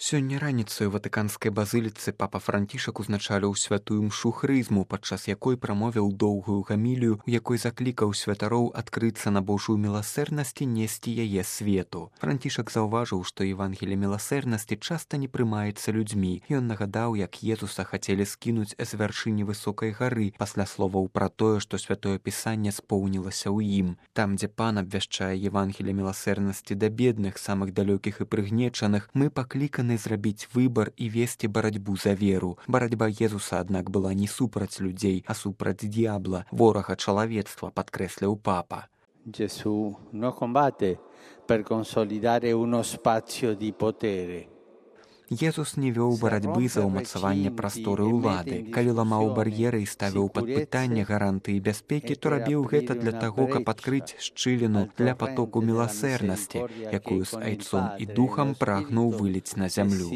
Сёння раніцай у ватыканскай базыліцы папа Францішак узначаліў святую мшу хрызму, падчас якой прамовіў доўгую гамілію, у якой заклікаў святароў адкрыцца на Божую міласэрнасць і несці яе свету. Францішак заўважыў, што Евангелие міласэрнасці часта не прымаецца людзьмі. Ён нагадаў, як Езуса хацелі скінуць з вяршыні высокай гары пасля словаў пра тое, што святое пісанне споўнілася ў ім. Там, дзе пан абвяшчае Евангелие міласэрнасці да бедных, самых далёкіх і прыгнечаных, мы пакліканы зрабіць выбар і весці барацьбу за веру. Барацьба Езуса, аднак, была не супраць людзей, а супраць д'ябла, ворага чалавецтва, падкрэсліў папа. Gesù non combatte per consolidare uno spazio di potere. Езус не вёў барацьбы за ўмацаванне прасторы ўлады. Калі ламаў бар'еры і ставіў пад пытанне гарантыі бяспекі, то рабіў гэта для таго, каб адкрыць шчыліну для патоку міласэрнасці, якую з айцом і духам прагнуў выліць на зямлю.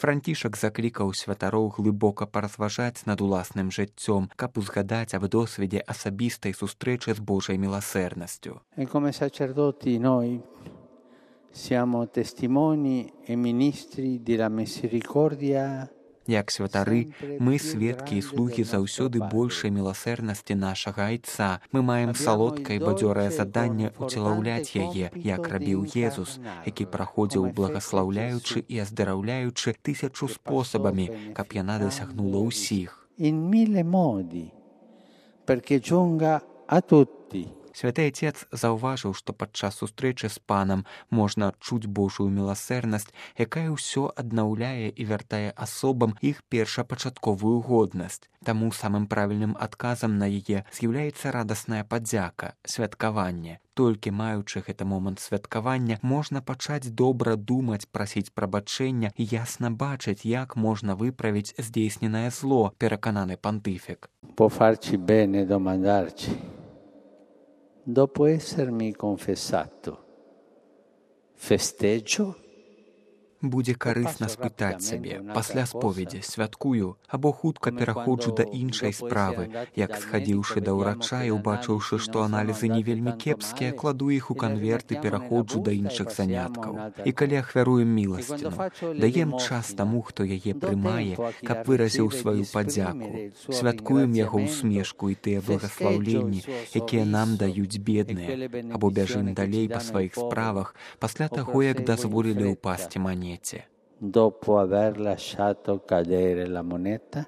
Францішак заклікаў святароў глыбока паразважаць над уласным жыццём, каб узгадаць аб досведзе асабістай сустрэчы з Божай міласэрнасцю. Siamo testimoni e ministri della misericordia. Як святары, мы сведкі і слугі заўсёды большай міласэрнасці нашага айца. Мы маем салодкае і бадзёрае заданне уцелаўляць яе, як рабіў Езус, які праходзіў благаслаўляючы і аздараўляючы 1000 спосабамі, каб яна дасягнула ўсіх. In mille modi, perché giunga a tutti. Святы Отец заўважыў, што падчас сустрэчы з панам можна адчуць Божую міласэрнасць, якая ўсё аднаўляе і вяртае асобам іх першапачатковую годнасць. Таму самым правільным адказам на яе з'яўляецца радасная падзяка, святкаванне. Толькі маючы гэты момант святкавання, можна пачаць добра думаць, прасіць прабачэння і ясна бачыць, як можна выправіць здзейсненае зло, перакананы пантыфік. Può farci bene domandarci. Dopo essermi confessato, festeggio? Будзе карысна спытаць сябе, пасля споведзі святкую або хутка пераходжу да іншай справы, як схадзіўшы да ўрача і убачыўшы, што аналізы не вельмі кепскія, кладу іх у канверт і пераходжу да іншых заняткаў. І калі ахвяруем міласціну, даем час таму, хто яе прымае, каб выразіў сваю падзяку. Святкуем яго ўсмешку і тыя благаслаўленні, якія нам даюць бедныя, або бяжым далей па сваіх справах пасля таго, як дазволілі ўпасці манеце. Dopo aver lasciato cadere la moneta?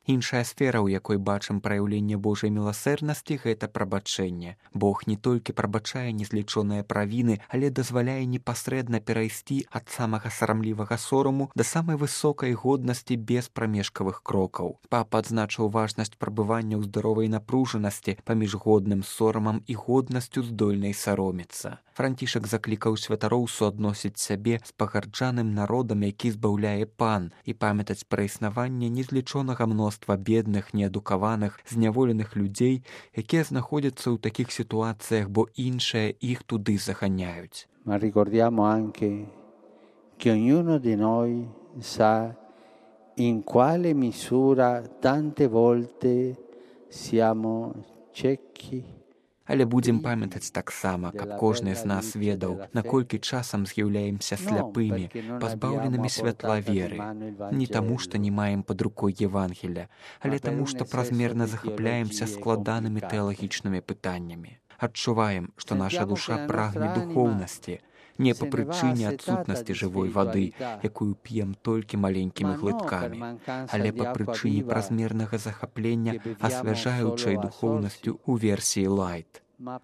Іншая сфера, у якой бачым праяўленне Божай міласэрнасці, гэта прабачэнне. Бог не толькі прабачае незлічоныя правіны, але дазваляе непасрэдна перайсці ад самага сарамлівага сораму да самай высокай годнасці без прамежкавых крокаў. Папа адзначыў важнасць прабывання ў здаровай напружанасці паміж годным сорамам і годнасцю здольнай саромецца. Францішак заклікаў святароў суадносіць сябе з пагарджаным народам, які збаўляе пан, і памятаць пра існаванне незлічонага мноства бедных, неадукаваных, зняволеных людзей, якія знаходзяцца ў такіх сітуацыях, бо іншыя іх туды заганяюць. Ma ricordiamo anche che ognuno di noi sa in quale misura tante volte siamo ciechi. Але будзем памятаць таксама, каб кожны з нас ведаў, наколькі часам з'яўляемся сляпымі, пазбаўленымі святла веры. Не таму, што не маем пад рукой Евангелія, але таму, што празмерна захапляемся складанымі тэалагічнымі пытаннямі. Адчуваем, што наша душа прагне духоўнасці, не па прычыне адсутнасці жывой вады, якую п'ем толькі маленькімі глыткамі, але па прычыне празмернага захаплення асвяжаючай духоўнасцю ў версіі лайт.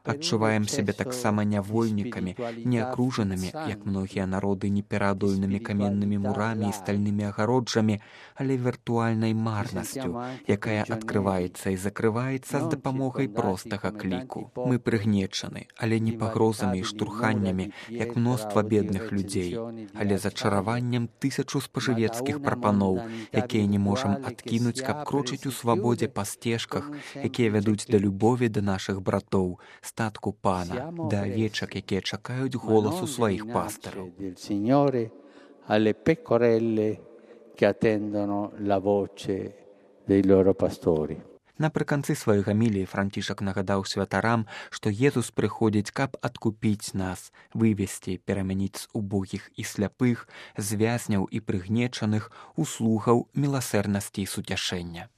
Адчуваем сябе таксама нявольнікамі, не акружанымі, як многія народы, непераадольнымі каменнымі мурамі і стальнымі агароджамі, але віртуальнай марнасцю, якая адкрываецца і закрываецца з дапамогай простага кліку. Мы прыгнечаны, але не пагрозамі і штурханнямі, як мноства бедных людзей, але зачараваннем 1000 спажывецкіх прапаноў, якія не можам адкінуць, каб крочыць у свабодзе па сцежках, якія вядуць да любові да нашых братоў, статку пана, да авечак, якія чакаюць голасу сваіх пастараў. Alle pecorelle che attendono la voce dei loro pastori. Напрыканцы сваёй гаміліі Францішак нагадаў святарам, што Езус прыходзіць, каб адкупіць нас, вывесці, перамяніць з убогіх і сляпых, з вязняў і прыгнечаных у слугаў міласэрнасці і суцяшэння.